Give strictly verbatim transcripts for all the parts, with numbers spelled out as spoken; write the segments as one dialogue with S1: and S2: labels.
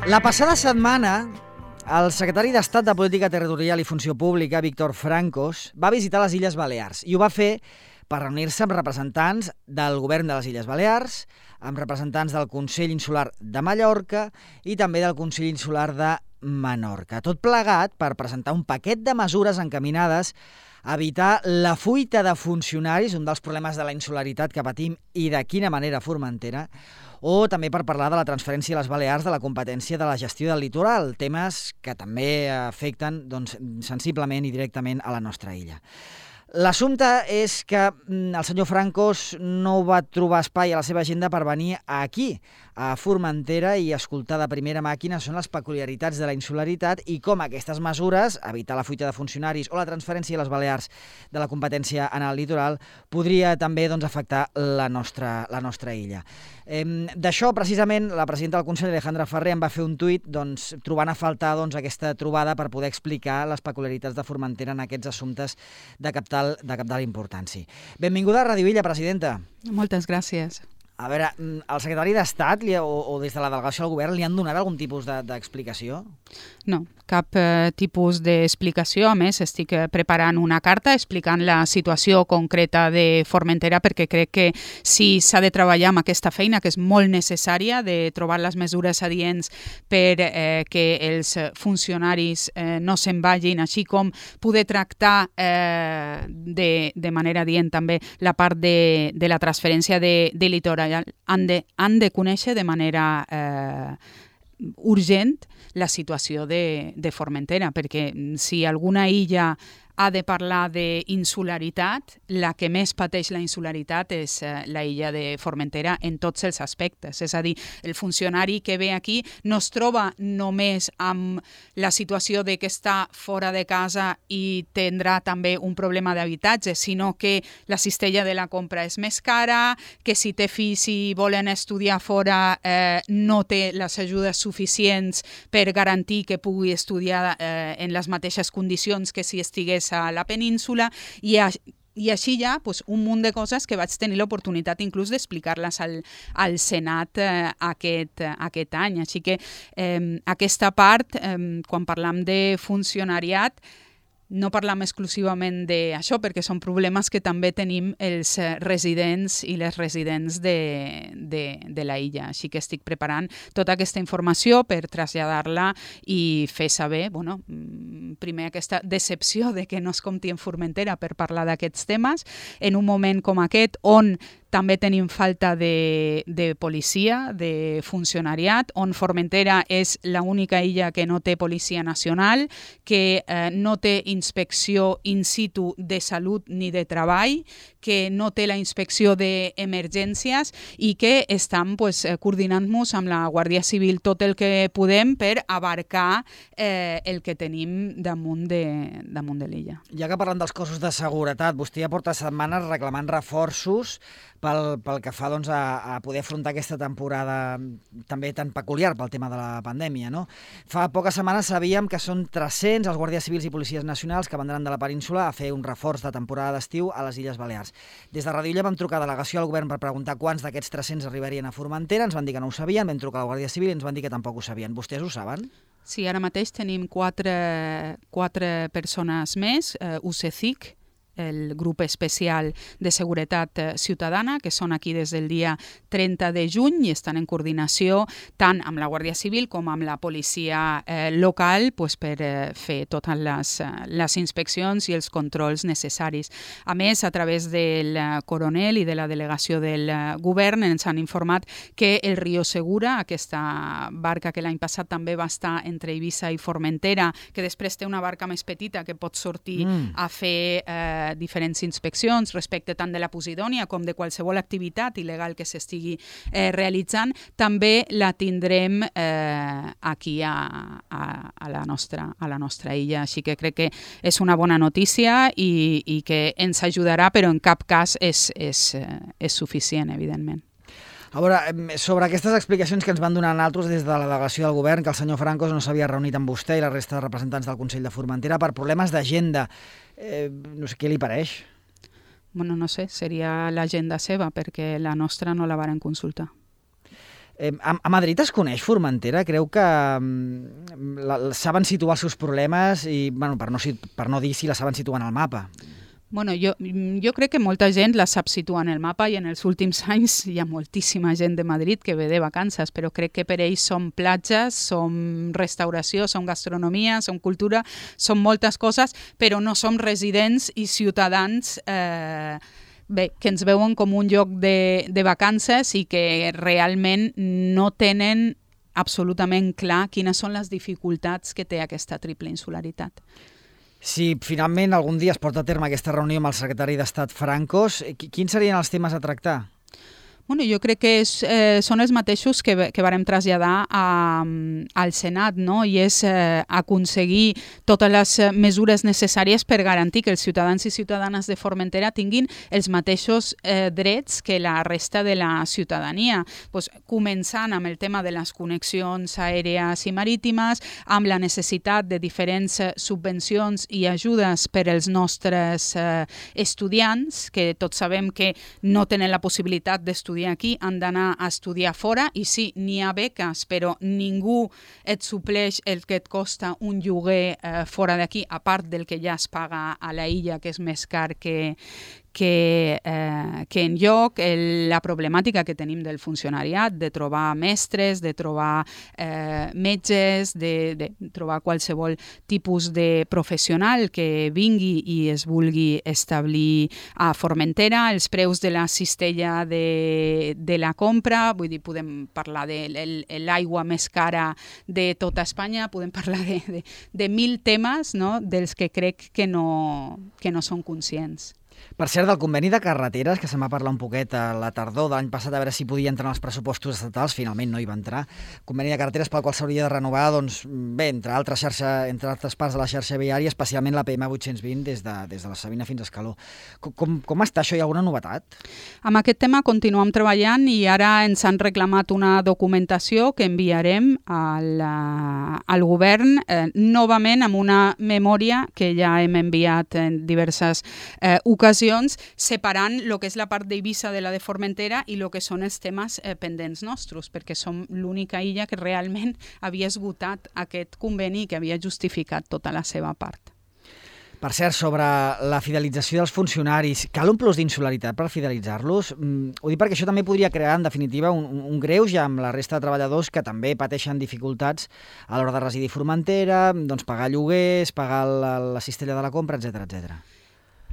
S1: La passada setmana, el secretari d'Estat de Política Territorial i Funció Pública, Víctor Francos, va visitar les Illes Balears i ho va fer per reunir-se amb representants del govern de les Illes Balears, amb representants del Consell Insular de Mallorca i també del Consell Insular de Menorca. Tot plegat per presentar un paquet de mesures encaminades a evitar la fuita de funcionaris, un dels problemes de la insularitat que patim i de quina manera a Formentera, o també per parlar de la transferència a les Balears de la competència de la gestió del litoral, temes que també afecten doncs, sensiblement i directament a la nostra illa. L'assumpte és que el senyor Francos no va trobar espai a la seva agenda per venir aquí, a Formentera, i escoltar de primera màquina són les peculiaritats de la insularitat i com aquestes mesures, evitar la fuita de funcionaris o la transferència a les Balears de la competència en el litoral, podria també doncs, afectar la nostra, la nostra illa. Eh, D'això, precisament, la presidenta del Consell, Alejandra Ferrer, em va fer un tuit doncs, trobant a faltar doncs, aquesta trobada per poder explicar les peculiaritats de Formentera en aquests assumptes de capital, de capital importància. Benvinguda a Ràdio Illa, presidenta.
S2: Moltes gràcies.
S1: A veure, el secretari d'Estat o, o des de la delegació del govern li han donat algun tipus d'explicació? De,
S2: no, cap eh, tipus d'explicació. A més, estic preparant una carta explicant la situació concreta de Formentera perquè crec que si s'ha de treballar amb aquesta feina, que és molt necessària, de trobar les mesures adients per eh, que els funcionaris eh, no se'n vagin, així com poder tractar eh, de, de manera adient també la part de, de la transferència de, de litoral. Han de, han de conèixer de manera eh, urgent la situació de, de Formentera, perquè si alguna illa ha de parlar d'insularitat, la que més pateix la insularitat és eh, la illa de Formentera en tots els aspectes. És a dir, el funcionari que ve aquí no es troba només amb la situació de que està fora de casa i tindrà també un problema d'habitatge, sinó que la cistella de la compra és més cara, que si té fills i volen estudiar fora eh, no té les ajudes suficients per garantir que pugui estudiar eh, en les mateixes condicions que si estigués a la península, i, a, i així hi ha pues, un munt de coses que vaig tenir l'oportunitat inclús d'explicar-les al, al Senat eh, aquest, aquest any. Així que eh, aquesta part, eh, quan parlam de funcionariat, no parlam exclusivament d'això, perquè són problemes que també tenim els residents i les residents de, de, de la illa. Així que estic preparant tota aquesta informació per traslladar-la i fer saber, bueno, primer aquesta decepció de que no es compti en Formentera per parlar d'aquests temes, en un moment com aquest on també tenim falta de, de policia, de funcionariat, on Formentera és l'única illa que no té policia nacional, que eh, no té inspecció in situ de salut ni de treball, que no té la inspecció d'emergències i que estem pues, coordinant-nos amb la Guàrdia Civil tot el que podem per abarcar eh, el que tenim damunt de, damunt de l'illa.
S1: Ja que parlem dels cossos de seguretat, vostè ja porta setmanes reclamant reforços pel, pel que fa doncs, a, a poder afrontar aquesta temporada també tan peculiar pel tema de la pandèmia. No? Fa poques setmanes sabíem que són tres-cents els guàrdies civils i policies nacionals que vendran de la península a fer un reforç de temporada d'estiu a les Illes Balears. Des de Ràdio Illa vam trucar a delegació al govern per preguntar quants d'aquests tres-cents arribarien a Formentera, ens van dir que no ho sabien, vam trucar a la Guàrdia Civil i ens van dir que tampoc ho sabien. Vostès ho saben?
S2: Sí, ara mateix tenim quatre, quatre persones més, eh, U C C I C, el grup especial de seguretat ciutadana, que són aquí des del dia trenta de juny i estan en coordinació tant amb la Guàrdia Civil com amb la policia eh, local pues, per eh, fer totes les, les inspeccions i els controls necessaris. A més, a través del coronel i de la delegació del govern ens han informat que el Rio Segura, aquesta barca que l'any passat també va estar entre Eivissa i Formentera, que després té una barca més petita que pot sortir mm. a fer eh, diferents inspeccions respecte tant de la Posidònia com de qualsevol activitat il·legal que s'estigui eh, realitzant, també la tindrem eh, aquí a, a, a, la nostra, a la nostra illa. Així que crec que és una bona notícia i, i que ens ajudarà, però en cap cas és, és, és suficient, evidentment.
S1: A veure, sobre aquestes explicacions que ens van donar altres des de la delegació del govern, que el senyor Francos no s'havia reunit amb vostè i la resta de representants del Consell de Formentera per problemes d'agenda, eh, no sé què li pareix?
S2: Bueno, no sé, seria l'agenda seva, perquè la nostra no la varen consultar.
S1: Eh, a, a Madrid es coneix Formentera? Creu que mm, la, la, saben situar els seus problemes i, bueno, per no, per no dir si la saben situar en el mapa?
S2: Bueno, jo, jo crec que molta gent la sap situar en el mapa i en els últims anys hi ha moltíssima gent de Madrid que ve de vacances, però crec que per ells som platges, som restauració, som gastronomia, som cultura, som moltes coses, però no som residents i ciutadans eh, bé, que ens veuen com un lloc de, de vacances i que realment no tenen absolutament clar quines són les dificultats que té aquesta triple insularitat.
S1: Si finalment algun dia es porta a terme aquesta reunió amb el secretari d'Estat Francos, quins serien els temes a tractar?
S2: Bueno, jo crec que és, eh, són els mateixos que, que vàrem traslladar a, al Senat, no? I és eh, aconseguir totes les mesures necessàries per garantir que els ciutadans i ciutadanes de Formentera tinguin els mateixos eh, drets que la resta de la ciutadania. Pues, començant amb el tema de les connexions aèries i marítimes, amb la necessitat de diferents subvencions i ajudes per als nostres eh, estudiants, que tots sabem que no tenen la possibilitat d'estudiar aquí, han d'anar a estudiar fora i sí, n'hi ha beques, però ningú et supleix el que et costa un lloguer eh, fora d'aquí, a part del que ja es paga a la illa, que és més car que, que, eh, que en lloc, el, la problemàtica que tenim del funcionariat, de trobar mestres, de trobar eh, metges, de, de trobar qualsevol tipus de professional que vingui i es vulgui establir a Formentera, els preus de la cistella de, de la compra, vull dir, podem parlar de l'aigua més cara de tota Espanya, podem parlar de, de, de mil temes, no?, dels que crec que no, que no són conscients.
S1: Per cert, del conveni de carreteres, que se'n va parlar un poquet a la tardor de l'any passat, a veure si podia entrar en els pressupostos estatals, finalment no hi va entrar. Conveni de carreteres pel qual s'hauria de renovar, doncs, bé, entre altres, xarxa, entre altres parts de la xarxa viària, especialment la P M vuit-cents vint des de, des de la Sabina fins a Escaló. Com, com, com està això? Hi ha alguna novetat?
S2: Amb aquest tema continuem treballant i ara ens han reclamat una documentació que enviarem al, al govern, eh, novament amb una memòria que ja hem enviat en diverses eh, ocasions, separant el que és la part d'Eivissa de la de Formentera i el que són els temes eh, pendents nostres, perquè som l'única illa que realment havia esgotat aquest conveni i que havia justificat tota la seva part.
S1: Per cert, sobre la fidelització dels funcionaris, cal un plus d'insularitat per fidelitzar-los? Mm, ho dic perquè això també podria crear, en definitiva, un, un greuge amb la resta de treballadors que també pateixen dificultats a l'hora de residir a Formentera, doncs pagar lloguers, pagar la, la cistella de la compra, etcètera, etcètera.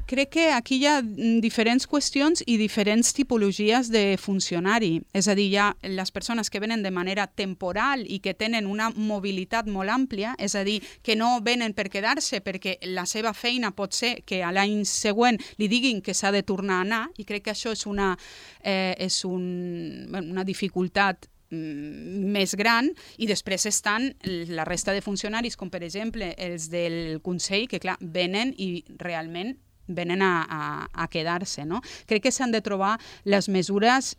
S2: Crec que aquí hi ha diferents qüestions i diferents tipologies de funcionari. És a dir, hi ha les persones que venen de manera temporal i que tenen una mobilitat molt àmplia, és a dir, que no venen per quedar-se perquè la seva feina pot ser que a l'any següent li diguin que s'ha de tornar a anar, i crec que això és una, eh, és un, una dificultat més gran, i després estan la resta de funcionaris, com per exemple els del Consell, que clar, venen i realment venen a, a, a quedar-se, no? Crec que s'han de trobar les mesures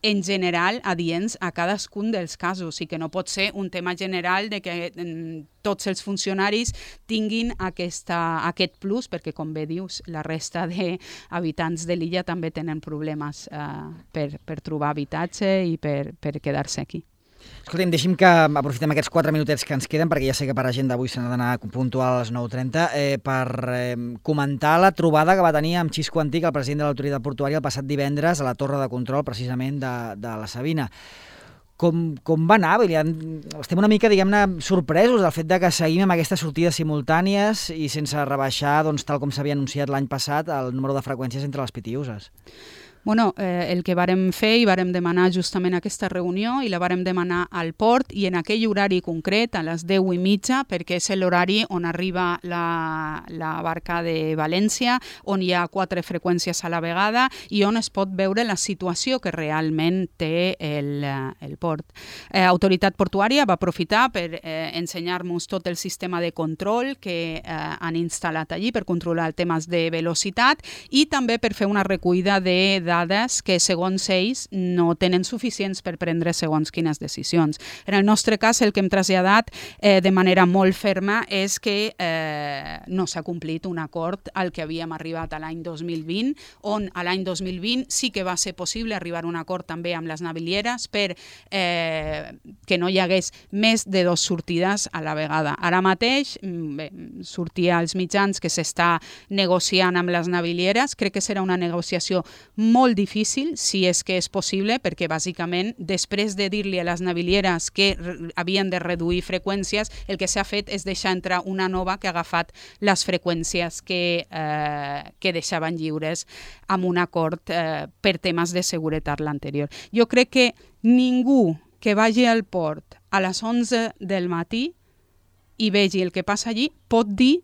S2: en general adients a cadascun dels casos i que no pot ser un tema general de que mm, tots els funcionaris tinguin aquesta, aquest plus, perquè com bé dius, la resta d'habitants de l'illa també tenen problemes eh, per, per trobar habitatge i per, per quedar-se aquí.
S1: Escolta'm, deixi'm que aprofitem aquests quatre minutets que ens queden, perquè ja sé que per agenda avui se n'ha d'anar puntual a les nou trenta, eh, per eh, comentar la trobada que va tenir amb Xisco Antic, el president de l'autoritat portuària, el passat divendres a la torre de control, precisament, de, de la Sabina. Com, com va anar? Estem una mica, diguem-ne, sorpresos del fet de que seguim amb aquestes sortides simultànies i sense rebaixar, doncs, tal com s'havia anunciat l'any passat, el número de freqüències entre les pitiüses.
S2: Bueno, eh, el que vàrem fer i vàrem demanar justament aquesta reunió i la vàrem demanar al port i en aquell horari concret, a les deu i mitja, perquè és l'horari on arriba la, la barca de València, on hi ha quatre freqüències a la vegada i on es pot veure la situació que realment té el, el port. Eh, Autoritat Portuària va aprofitar per eh, ensenyar-nos tot el sistema de control que eh, han instal·lat allí per controlar temes de velocitat i també per fer una recollida de dades dades que, segons ells, no tenen suficients per prendre segons quines decisions. En el nostre cas, el que hem traslladat eh, de manera molt ferma és que eh, no s'ha complit un acord al que havíem arribat a l'any dos mil vint, on a l'any dos mil vint sí que va ser possible arribar a un acord també amb les navilieres per eh, que no hi hagués més de dos sortides a la vegada. Ara mateix, bé, sortia als mitjans que s'està negociant amb les navilieres. Crec que serà una negociació molt difícil, si és que és possible, perquè bàsicament, després de dir-li a les navilieres que havien de reduir freqüències, el que s'ha fet és deixar entrar una nova que ha agafat les freqüències que, eh, que deixaven lliures amb un acord eh, per temes de seguretat l'anterior. Jo crec que ningú que vagi al port a les onze del matí i vegi el que passa allí pot dir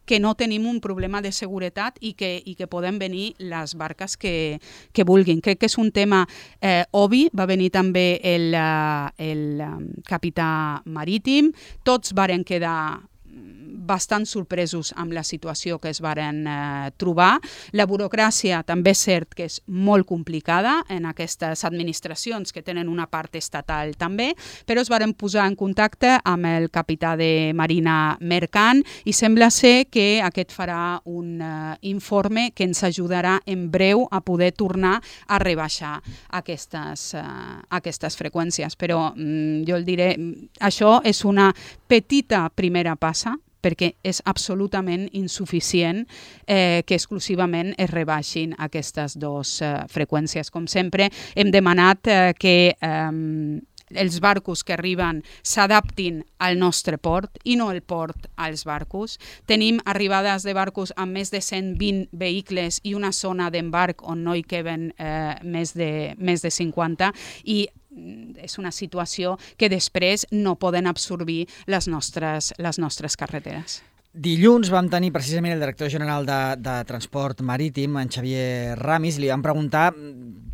S2: que no tenim un problema de seguretat i que, i que poden venir les barques que, que vulguin. Crec que és un tema eh, obvi. Va venir també el, el capità marítim. Tots varen quedar bastant sorpresos amb la situació que es varen eh, trobar. La burocràcia també és cert que és molt complicada en aquestes administracions que tenen una part estatal també, però es varen posar en contacte amb el capità de Marina Mercant i sembla ser que aquest farà un eh, informe que ens ajudarà en breu a poder tornar a rebaixar aquestes, eh, aquestes freqüències. Però mm, jo el diré, això és una petita primera passa, perquè és absolutament insuficient eh, que exclusivament es rebaixin aquestes dues eh, freqüències. Com sempre, hem demanat eh, que eh, els barcos que arriben s'adaptin al nostre port i no el port als barcos. Tenim arribades de barcos amb més de cent vint vehicles i una zona d'embarc on no hi queben eh, més de, més de cinquanta i és una situació que després no poden absorbir les nostres, les nostres carreteres.
S1: Dilluns vam tenir precisament el director general de, de Transport Marítim, en Xavier Ramis, i li vam preguntar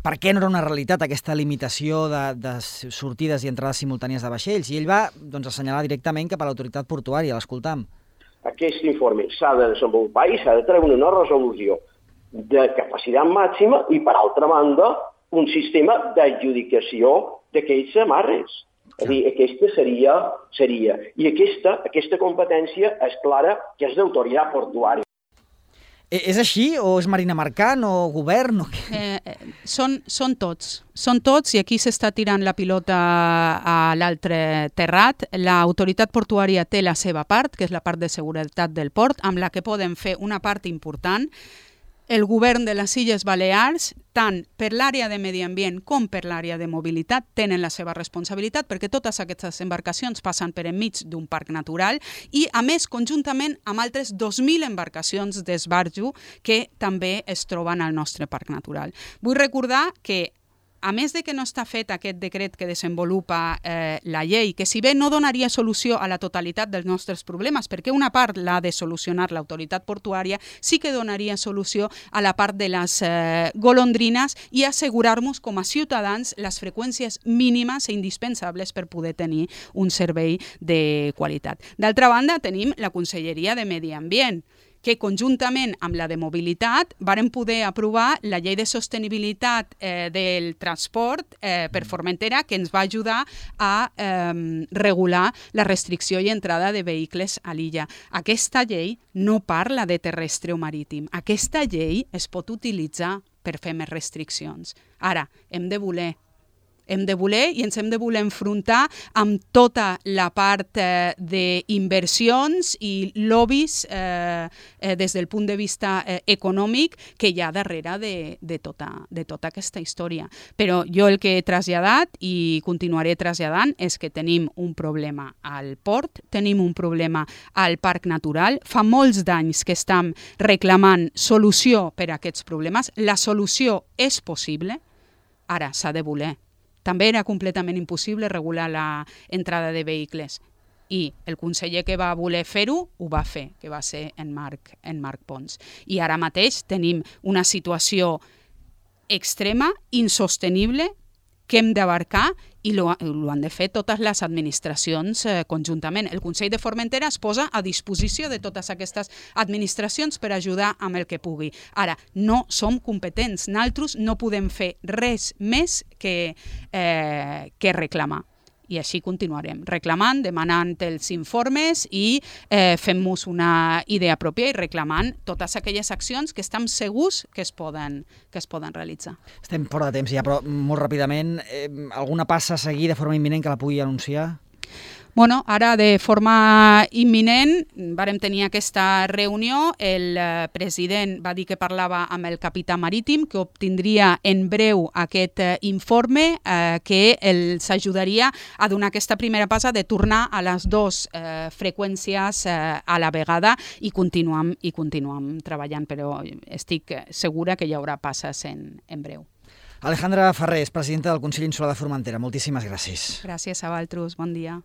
S1: per què no era una realitat aquesta limitació de, de sortides i entrades simultànies de vaixells, i ell va doncs, assenyalar directament cap a l'autoritat portuària. L'escoltam.
S3: Aquest informe s'ha de desenvolupar i s'ha de treure una resolució de capacitat màxima i, per altra banda, un sistema d'adjudicació d'aquells amarres. És a dir, aquesta seria, seria. I aquesta, aquesta competència és clara que és d'autoritat portuària.
S1: És així o és Marina Mercant o govern? O què?
S2: Eh, són, són tots. Són tots i aquí s'està tirant la pilota a l'altre terrat. L'autoritat portuària té la seva part, que és la part de seguretat del port, amb la que poden fer una part important. El govern de les Illes Balears, tant per l'àrea de medi ambient com per l'àrea de mobilitat, tenen la seva responsabilitat perquè totes aquestes embarcacions passen per enmig d'un parc natural i, a més, conjuntament amb altres dos mil embarcacions d'esbarjo que també es troben al nostre parc natural. Vull recordar que a més de que no està fet aquest decret que desenvolupa eh, la llei, que si bé no donaria solució a la totalitat dels nostres problemes, perquè una part l'ha de solucionar l'autoritat portuària, sí que donaria solució a la part de les eh, golondrines i assegurar-nos com a ciutadans les freqüències mínimes i indispensables per poder tenir un servei de qualitat. D'altra banda, tenim la Conselleria de Medi Ambient, que conjuntament amb la de mobilitat varen poder aprovar la llei de sostenibilitat eh, del transport eh, per Formentera, que ens va ajudar a eh, regular la restricció i entrada de vehicles a l'illa. Aquesta llei no parla de terrestre o marítim. Aquesta llei es pot utilitzar per fer més restriccions. Ara, hem de voler hem de voler i ens hem de voler enfrontar amb tota la part eh, d'inversions i lobbies eh, eh, des del punt de vista eh, econòmic que hi ha darrere de, de, tota, de tota aquesta història. Però jo el que he traslladat i continuaré traslladant és que tenim un problema al port, tenim un problema al parc natural, fa molts d'anys que estem reclamant solució per a aquests problemes, la solució és possible, ara s'ha de voler. També era completament impossible regular l'entrada de vehicles i el conseller que va voler fer-ho ho va fer, que va ser en Marc, en Marc Pons. I ara mateix tenim una situació extrema, insostenible, que hem d'abarcar i ho han de fer totes les administracions eh, conjuntament. El Consell de Formentera es posa a disposició de totes aquestes administracions per ajudar amb el que pugui. Ara, no som competents. Nosaltres no podem fer res més que, eh, que reclamar. I així continuarem, reclamant, demanant els informes i eh, fent-nos una idea pròpia i reclamant totes aquelles accions que estem segurs que es poden, que es poden realitzar.
S1: Estem fora de temps ja, però molt ràpidament, eh, alguna passa a seguir de forma imminent que la pugui anunciar?
S2: Bueno, ara de forma imminent vàrem tenir aquesta reunió, el eh, president va dir que parlava amb el capità marítim, que obtindria en breu aquest eh, informe eh, que els ajudaria a donar aquesta primera passa de tornar a les dues eh, freqüències eh, a la vegada i continuam, i continuam treballant, però estic segura que hi haurà passes en, en breu.
S1: Alejandra Farrés, presidenta del Consell Insular de Formentera, moltíssimes gràcies.
S2: Gràcies a vosaltres, bon dia.